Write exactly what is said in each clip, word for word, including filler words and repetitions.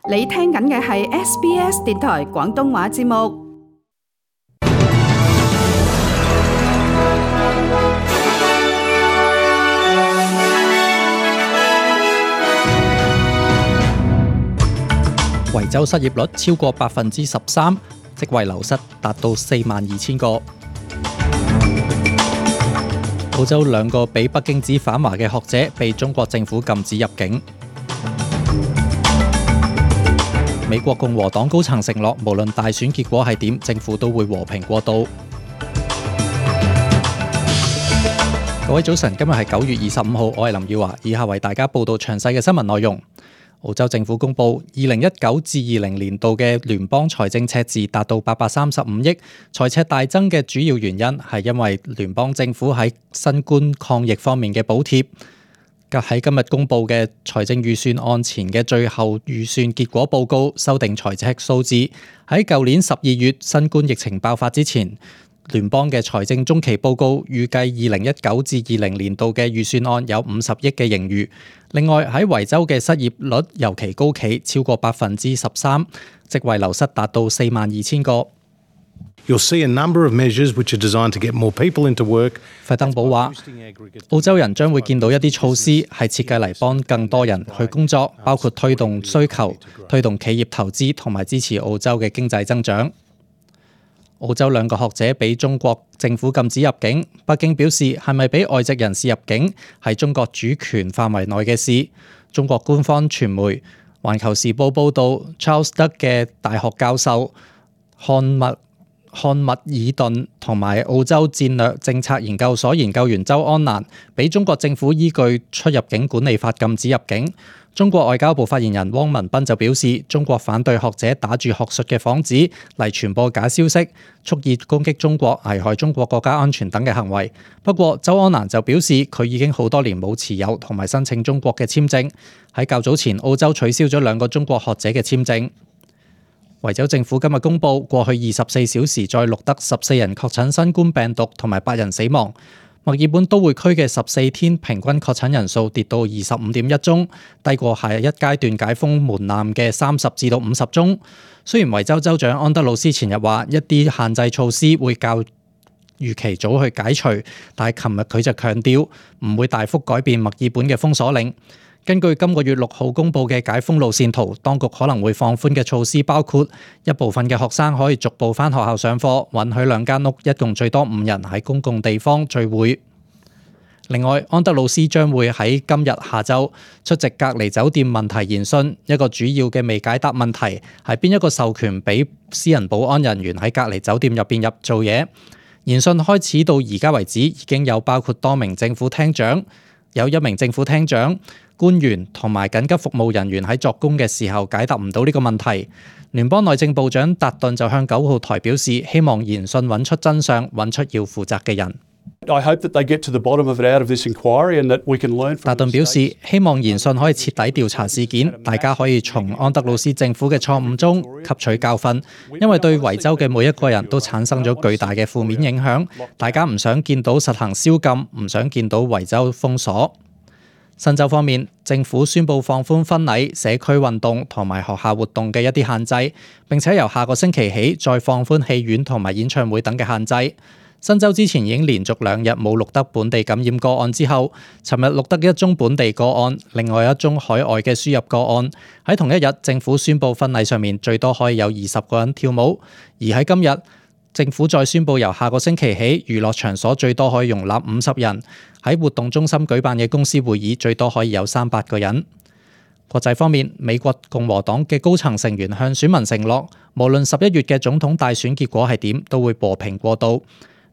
你聽緊嘅係 S B S 電台廣東話節目。維州失業率超過百分之十三，職位流失達到四萬二千個。澳洲兩個被北京指反華嘅學者被中國政府禁止入境。美國共和黨高層承諾，無論大選結果係點，政府都會和平過渡。各位早晨，今日係九月二十五號，我係林耀華，以下為大家報道詳細嘅新聞內容。澳洲政府公布，二零一九至二零年度嘅聯邦財政赤字達到八百三十五億，財赤大增嘅主要原因係因為聯邦政府喺新冠抗疫方面嘅補貼。喺今日公布嘅財政預算案前嘅最後預算結果報告修訂財赤數字，喺舊年十二月新冠疫情爆發之前，聯邦嘅財政中期報告預計二零一九至二零年度嘅預算案有五十億嘅盈餘。另外喺維州嘅失業率尤其高企，超過百分之十三，職位流失達到四萬二千個。You'll see a number of measures which are designed to get more people into work. 費登堡話，澳洲人將會見到一啲措施係設計嚟幫更多人去工作，包括推動需求、推動企業投資同埋支持澳洲嘅經濟增長。澳洲兩個學者俾中國政府禁止入境，北京表示係咪俾外籍人士入境係中國主權範圍內嘅事。中國官方傳媒《環球時報》報導 ，Charles 德嘅大學教授漢密漢密爾頓同埋澳洲戰略政策研究所研究員周安蘭俾中國政府依據出入境管理法禁止入境。中國外交部發言人汪文斌就表示，中國反對學者打住學術嘅幌子嚟傳播假消息，蓄意攻擊中國、危害中國國家安全等嘅行為。不過，周安蘭就表示，佢已經好多年冇持有同埋申請中國嘅簽證。喺較早前，澳洲取消咗兩個中國學者嘅簽證。維州政府今日公布，過去二十四小時再錄得十四人確診新冠病毒同埋八人死亡。墨爾本都會區嘅十四天平均確診人數跌到二十五點一宗，低過下一階段解封門檻嘅三十至到五十宗。雖然維州州長安德魯斯前日話一啲限制措施會較預期早去解除，但係琴日佢就強調唔會大幅改變墨爾本嘅封鎖令。根據今個月六號公布嘅解封路線圖，當局可能會放寬嘅措施包括一部分嘅學生可以逐步返學校上課，允許兩間屋一共最多五人喺公共地方聚會。另外，安德魯斯將會喺今日下晝出席隔離酒店問題研訊，一個主要嘅未解答問題係邊一個授權俾私人保安人員喺隔離酒店入邊入做嘢。研訊開始到而家為止，已經有包括多名政府廳長，有一名政府廳長、官員同埋緊急服務人員喺作工嘅時候解答唔到呢個問題。聯邦內政部長達頓就向九號台表示，希望研訊揾出真相，揾出要負責嘅人。I hope that they get to the bottom of it out of this inquiry and that we can learn from. 達頓表示，希望研訊可以徹底調查事件，大家可以從安德魯斯政府嘅錯誤中吸取教訓，因為對維州嘅每一個人都產生咗巨大嘅負面影響。大家唔想見到實行宵禁，唔想見到維州封鎖。新州方面，政府宣布放寬婚禮、社區運動同埋學校活動嘅一啲限制，並且由下個星期起再放寬戲院同埋演唱會等嘅限制。新州之前已經連續兩日冇錄得本地感染個案之後，尋日錄得一宗本地個案，另外一宗海外嘅輸入個案。喺同一日，政府宣布婚禮上面最多可以有二十個人跳舞，而喺今日，政府再宣布由下個星期起，娛樂場所最多可以容納五十人，喺活動中心舉辦嘅公司會議最多可以有三百個人。國際方面，美國共和黨嘅高層成員向選民承諾，無論十一月嘅總統大選結果係點，都會和平過渡。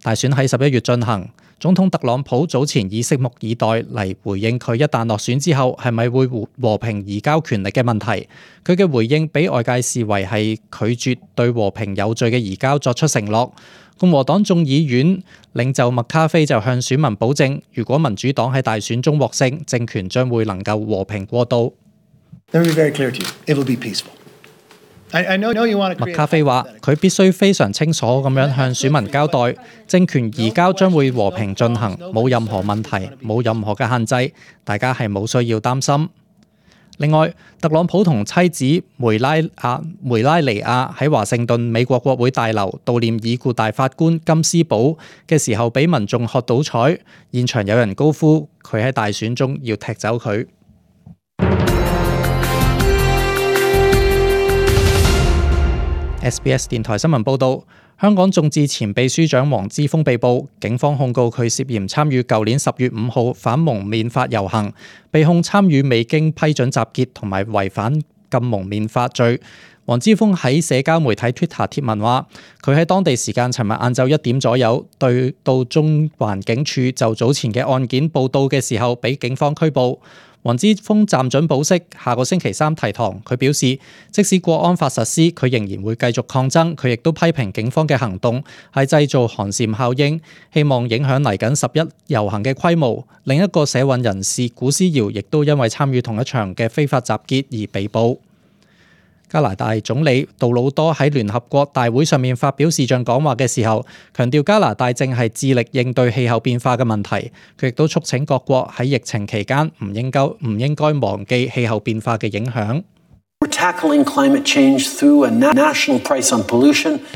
大選喺十一月進行，總統特朗普早前以拭目以待嚟回應佢一旦落選之後係咪會和平移交權力嘅問題。佢嘅回應俾外界視為係拒絕對和平有序嘅移交作出承諾。共和黨眾議院領袖麥卡菲就向選民保證，如果民主黨喺大選中獲勝，政權將會能夠和平過渡。麥卡菲話：佢必須非常清楚咁樣向選民交代，政權移交將會和平進行，冇任何問題，冇任何嘅限制，大家係冇需要擔心。另外，特朗普同妻子梅拉亞梅拉尼亞喺華盛頓美國國會大樓悼念已故大法官金斯堡嘅時候，俾民眾喝倒彩，現場有人高呼佢喺大選中要踢走佢。S B S 電台新聞報導，香港眾志前秘書長黃之鋒被捕，警方控告佢涉嫌參與舊年十月五號反蒙面法遊行，被控參與未經批准集結同埋違反禁蒙面法罪。黃之鋒喺社交媒體 Twitter 貼文話，佢喺當地時間尋日晏晝一點左右，對到中環警署就早前嘅案件報到嘅時候，俾警方拘捕。黃之鋒暫准保釋，下個星期三提堂。佢表示，即使國安法實施，佢仍然會繼續抗爭。佢亦都批評警方嘅行動係製造寒蟬效應，希望影響嚟緊十一遊行嘅規模。另一個社運人士古思堯亦都因為參與同一場嘅非法集結而被捕。加拿大總理杜魯多喺聯合國大會上面發表視像講話嘅時候，強調加拿大正係致力應對氣候變化嘅問題。佢亦都促請各國喺疫情期間唔應該唔應該忘記氣候變化嘅影響。杜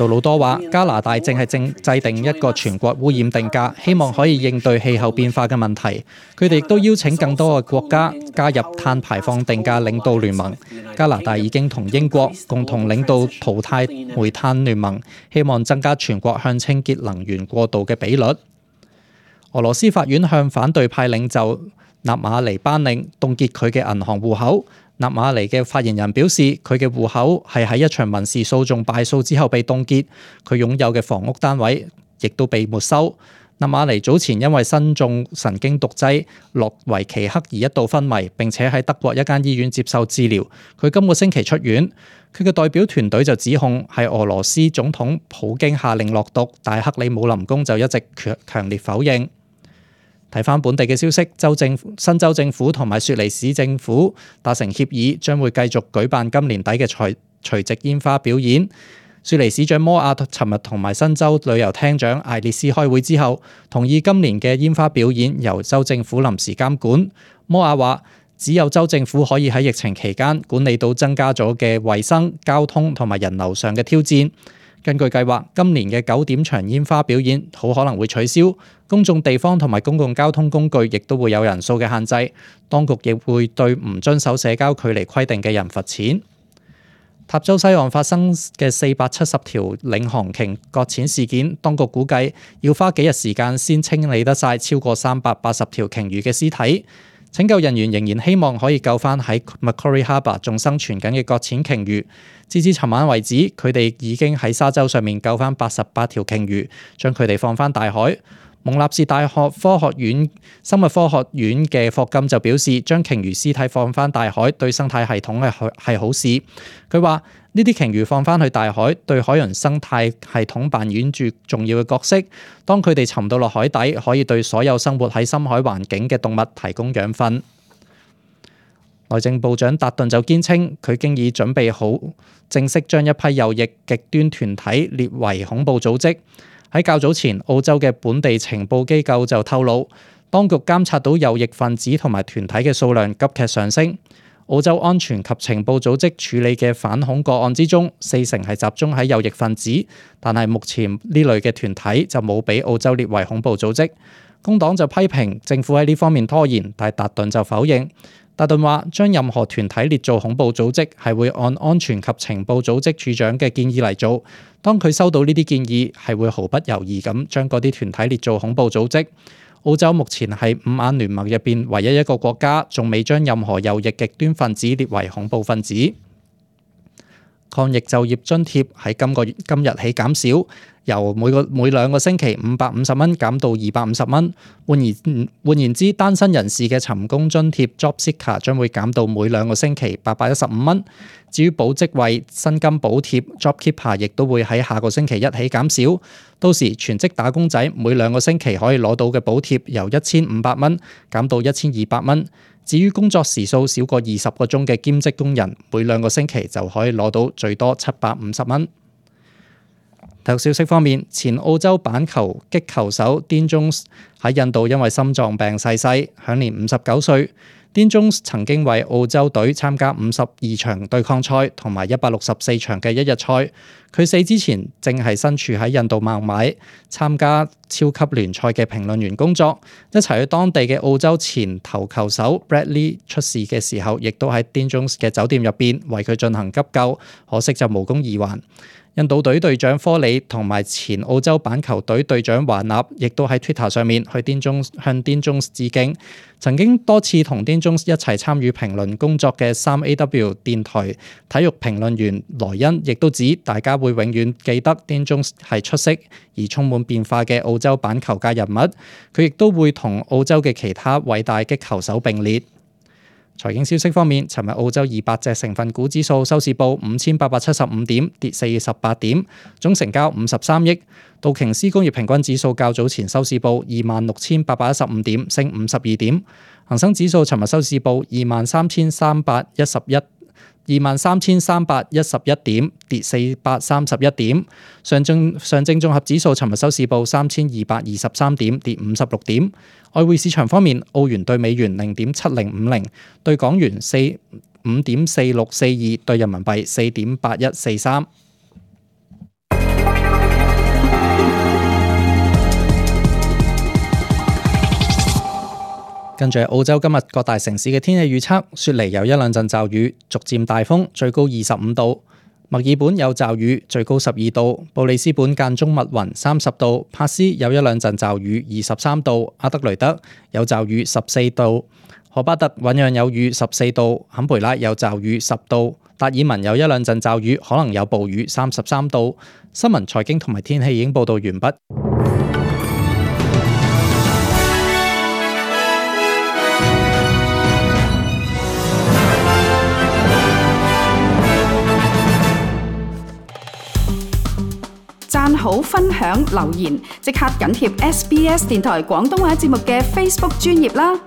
魯多話：加拿大正係正制定一個全國污染定價，希望可以應對氣候變化嘅問題。佢哋亦都邀請更多嘅國家加入碳排放定價領導聯盟。加拿大已經同英國共同領導淘汰煤炭聯盟，希望增加全國向清潔能源過渡嘅比率。俄羅斯法院向反對派領袖納馬尼頒令凍結佢嘅銀行戶口。納馬尼嘅發言人表示，佢嘅戶口係喺一場民事訴訟敗訴之後被凍結，佢擁有嘅房屋單位亦都被沒收。納馬尼早前因為身中神經毒劑諾維奇克而一度昏迷，並且喺德國一間醫院接受治療。佢今個星期出院。佢嘅代表團隊就指控係俄羅斯總統普京下令落毒，但克里姆林宮就一直強強烈否認。睇返本地嘅消息，州政府、新州政府同埋雪梨市政府達成協議，將會繼續舉辦今年底嘅除除夕煙花表演。雪梨市長摩亞尋日同埋新州旅遊廳長艾列斯開會之後，同意今年嘅煙花表演由州政府臨時監管。摩亞話：只有州政府可以喺疫情期間管理到增加咗嘅衛生、交通同埋人流上嘅挑戰。根據計劃，今年嘅九點場煙花表演好可能會取消，公眾地方同埋公共交通工具亦都會有人數嘅限制。當局亦會對唔遵守社交距離規定嘅人罰錢。塔州西岸發生嘅四百七十條領航鯨擱淺事件，當局估計要花幾日時間先清理得晒超過三百八十條鯨魚嘅屍體。拯救人員仍然希望可以救返喺 Macquarie Harbour 仲生存緊嘅擱淺鯨魚。截至尋晚為止，佢哋已經喺沙洲上面救返八十八條鯨魚，將佢哋放返大海。蒙納士大學科學院生物科學院嘅霍金就表示，將鯨魚屍體放返大海對生態系統係係好事。佢話：呢啲鯨魚放返去大海，對海洋生態系統扮演住重要嘅角色。當佢哋沉到落海底，可以對所有生活喺深海環境嘅動物提供養分。內政部長達頓就堅稱，佢經已準備好正式將一批右翼極端團體列為恐怖組織。喺較早前，澳洲嘅本地情報機構就透露，當局監察到右翼分子同埋團體嘅數量急劇上升。澳洲安全及情報組織處理嘅反恐個案之中，四成係集中喺右翼分子，但係目前呢類嘅團體就冇俾澳洲列為恐怖組織。工黨就批評政府喺呢方面拖延，但係達頓就否認。達頓話：將任何團體列做恐怖組織係會按安全及情報組織處長嘅建議嚟做。當佢收到呢啲建議，係會毫不猶豫咁將嗰啲團體列做恐怖組織。澳洲目前係五眼聯盟入邊唯一一個國家，仲未將任何右翼極端分子列為恐怖分子。抗疫就業津貼喺今個月今日起減少，由每個每兩個星期五百五十蚊減到二百五十蚊。換言換言之，單身人士嘅尋工津貼 Job Seeker 將會減到每兩個星期八百一十五蚊。至於保職位薪金補貼 Job Keeper 亦都會喺下個星期一起減少。到時全職打工仔每兩個星期可以攞到嘅補貼由一千五百蚊減到一千二百蚊。至於工作時數少過二十個鐘嘅兼職工人，每兩個星期就可以攞到最多七百五十蚊。體育消息方面，前澳洲板球擊球手 Dean Jones 喺印度因為心臟病逝世，享年五十九歲。Dean Jones 曾經為澳洲隊參加五十二場對抗賽同埋一百六十四場嘅一日賽。佢死之前正係身處喺印度孟買參加超級聯賽嘅評論員工作，一齊去當地嘅澳洲前投球手 Bradley 出事嘅時候，亦都喺 Dean Jones 嘅酒店入邊為佢進行急救，可惜就無功而還。印度隊隊長科里同埋前澳洲板球隊隊長華納亦都喺 Twitter 上面去 Dean Jones 向 Dean Jones 致敬。曾經多次同 Dean Jones 一齊參與評論工作嘅三 A W 電台體育評論員萊恩亦都指，大家會永遠記得 Dean Jones 係出色而充滿變化嘅澳洲板球界人物。佢亦都會同澳洲嘅其他偉大擊球手並列。財經消息方面，尋日澳洲二百隻成分股指數收市報五千八百七十五點，跌四十八點，總成交五十三億。道瓊斯工業平均指數較早前收市報二萬六千八百一十五點，升五十二點。恒生指數尋日收市報二萬三千三百一十一。二萬三千三百一十一點，跌四百三十一點。上證上證綜合指數尋日收市報三千二百二十三點，跌五十六點。外匯市場方面，澳元對美元零點七零五零，對港元四五點四六四二，對人民幣四點八一四三。跟住澳洲今日各大城市嘅天氣預測，雪梨有一兩陣驟雨，逐漸大風，最高二十五度；墨爾本有驟雨，最高十二度；布里斯本間中密雲，三十度；帕斯有一兩陣驟雨，二十三度；阿德雷德有驟雨，十四度；荷巴特醞釀有雨，十四度；坎培拉有驟雨，十度；達爾文有一兩陣驟雨，可能有暴雨，三十三度。新聞、財經同埋天氣已經報道完畢。讚好、分享、留言，即刻緊貼 S B S 電台廣東話節目嘅 Facebook 專頁啦！